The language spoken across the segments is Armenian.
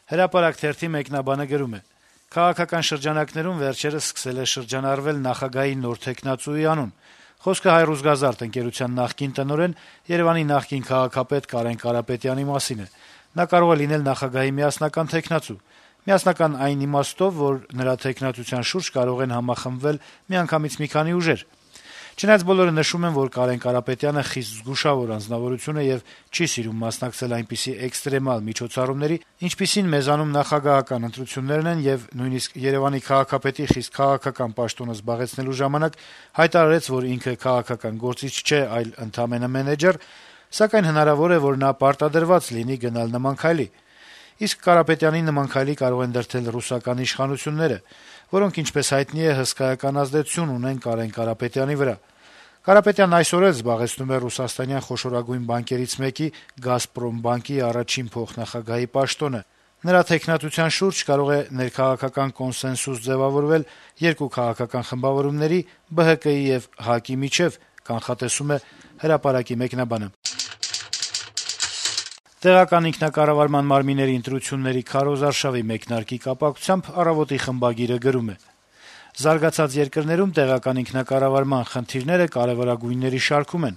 Հրապարակ թերթի մեկնաբանը գրում է. - «Քաղաքական շրջանակներում վերջերս սկսել է շրջանառվել նախագահի նոր թեկնածուի անուն: Խոսքը «Հայրուզգազարդ» ընկերության նախկին տնօրեն, Երեւանի նախկին քաղաքապետ Կարեն Կարապետյանի մասին է: Նա կարող է լինել նախագահի միասնական թեկնածու: Միասնական այն իմաստով, որ նրա թեկնածության շուրջ կարող են համախմբվել միանգամից մի քանի ուժեր: Չնայած բոլորը նշում են, որ Կարեն Կարապետյանը խիստ զգուշավոր անձնավորություն է եւ չի սիրում մասնակցել այնպիսի էքստրեմալ միջոցառումների, ինչպիսին մեզանում նախագահական ընտրություններն են, եւ նույնիսկ Երեւանի քաղաքապետի խիստ քաղաքական պաշտոնը զբաղեցնելու ժամանակ հայտարարեց, որ ինքը քաղաքական գործիչ չէ, այլ ընդամենը մենեջեր, սակայն հնարավոր է, որ նա պարտադրված լինի գնալ նման քայլի: Իսկ Կարապետյանի նման քայլի կարող են դրդել ռուսական իշխանությունները, որոնք, ինչպես հայտնի է, հսկայական ազդեցություն ունեն Կարեն Կարապետյանի վրա: Կարապետյանն այսօր էլ զբաղեցնում է ռուսաստանյան խոշորագույն բանկերից մեկի «Գազպրոմ» բանկի առաջին փոխնախագահի պաշտոնը: Նրա թեկնածության շուրջ կարող է ներքաղաքական կոնսենսուս ձեւավորվել երկու քաղաքական խմբավորումների՝ ԲՀԿ-ի եւ ՀԱԿ-ի միջեւ», կանխատեսում է «Հրապարակ»-ի մեկնաբանը: Տեղական ինքնակառավարման մարմինների ընտրությունների քարոզարշավի մեկնարկի կապակցությամբ «Առավոտ»-ի խմբագիրը գրում է. - «Զարգացած երկրներում տեղական ինքնակառավարման խնդիրները կարեւորագույնների շարքում են: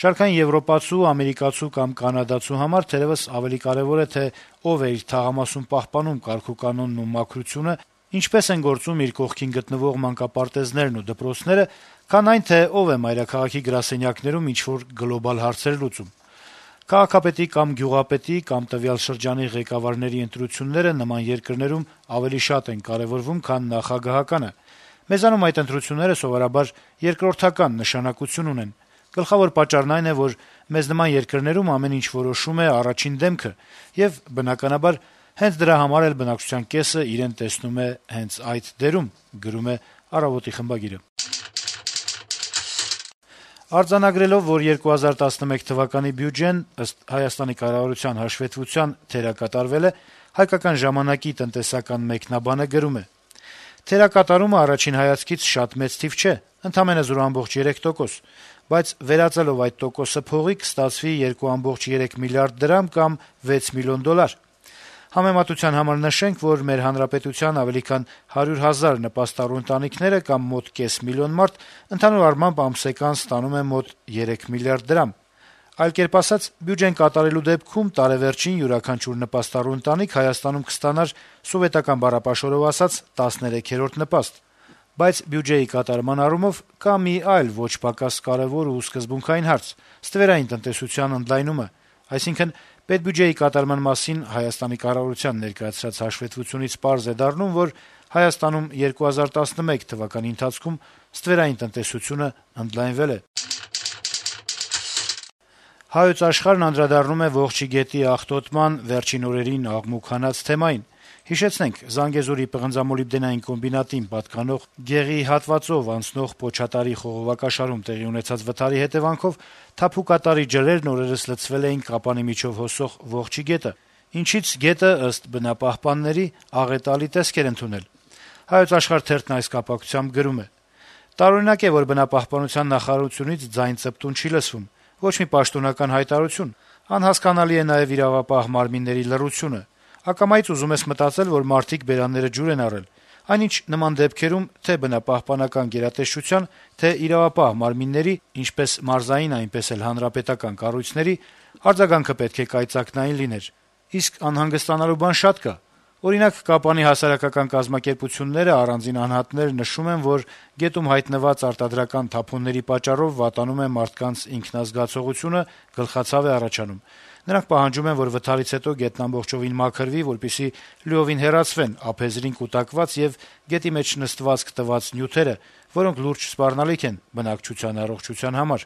Շարքային եվրոպացու, ամերիկացու կամ կանադացու համար թերեւս ավելի կարեւոր է, թե ով է իր թաղամասում պահպանում կարգուկանոնն ու մաքրությունը, ինչպես են գործում իր կողքին գտնվող մանկապարտեզներն ու դպրոցները, քան այն, թե ով է մայրաքաղաքի գրասենյակներում ինչ-որ գլոբալ հարցեր լուծում: Քաղաքապետի կամ գյուղապետի կամ տվյալ շրջանի ղեկավարների ընտրությունները նման երկրներում ավելի շատ են կարեւորվում, քան նախագահականը: Մեզանում այդ ընտրությունները սովորաբար երկրորդական նշանակություն ունեն: Գլխավոր պատճառն այն է, որ մեզ նման երկրներում ամեն ինչ որոշում է առաջին դեմքը, եւ բնականաբար հենց դրա համար էլ բնակչության կեսը իրեն տեսնում է հենց այդ դերում»: Արձանագրելով, որ 2011 թվականի բյուջեն, ըստ Հայաստանի կառավարության հաշվետվության, թերակատարվել է, «Հայկական ժամանակ»-ի տնտեսական մեկնաբանը գրում է. - «Թերակատարումը առաջին հայացքից շատ մեծ թիվ չէ, ընդամենը 0.3%, բայց վերածելով այդ տոկոսը փողի կստացվի 2.3 միլիարդ դրամ կամ 6 միլիոն դոլար: Համեմատության համար նշենք, որ մեր հանրապետության ավելի քան 100,000 նպաստառու ընտանիքները կամ մոտ կես միլիոն մարդ ընդհանուր առմամբ ամսեկան ստանում է մոտ 3 միլիարդ դրամ: Այլ կերպ ասած, բյուջեն կատարելու դեպքում տարեվերջին յուրաքանչյուր նպաստառու ընտանիք Հայաստանում կստանար, սովետական բառապաշարով ասած, 13-րդ նպաստ: Բայց բյուջեի կատարման առումով կա մի այլ ոչ պակաս կարեւոր ու սկզբունքային հարց՝ ստվերային տնտեսության ընդլայնումը: Այսինքն՝ պետբյուջեի կատարման մասին Հայաստանի կառավարության ներկայացրած հաշվետվությունից պարզ է դառնում, որ Հայաստանում 2011 թվականի ընթացքում ստվերային տնտեսությունը ընդլայնվել է»: «Հայոց Աշխարհ»-ն անդրադառնում է Ողջի գետի աղտոտման վերջին օրերին աղմուկ հանած թեմային: Հիշեցնենք, Զանգեզուրի պղնձամոլիբդենային կոմբինատին պատկանող գեղի հատվածով անցնող Պոչատարի խողովակաշարում տեղի ունեցած վթարի հետեւանքով թափուկատարի ջրերն օրերս լցվել էին Կապանի միջով հոսող Ողջի գետը, ինչից գետը, ըստ բնապահպանների, աղետալի տեսք էր ընդունել: «Հայոց Աշխարհ» թերթն այս կապակցությամբ գրում է. - «Տարօրինակ է, որ բնապահպանության նախարարությունից ձայն ծպտուն չի լսվում: Ոչ մի պաշտոնական հայտարարություն: Անհասկանալի է նաեւ իրավապահ մարմինների լռությունը: Ակամայից ուզում ես մտածել, որ մարդիկ բերանները ջուր են առել: Այնինչ նման դեպքերում թե բնապահպանական գերատեսչության, թե իրավապահ մարմինների, ինչպես մարզային, այնպես էլ հանրապետական կառույցների, արձագանքը պետք է կայծակնային լիներ: Իսկ անհանգստանալու բան շատ կա: Օրինակ, Կապանի հասարակական կազմակերպությունները, առանձին անհատներ նշում են, որ գետում հայտնված արտադրական թափոնների պատճառով վատանում է մարդկանց ինքնազգացողությունը, գլխացավ է առաջանում: Նրանք պահանջում են, որ վթարից հետո գետն ամբողջովին մաքրվի, որպեսզի լիովին հեռացվեն ափերին կուտակված եւ գետի մեջ նստվածք տված նյութերը, որոնք լուրջ սպառնալիք են բնակչության առողջության համար»: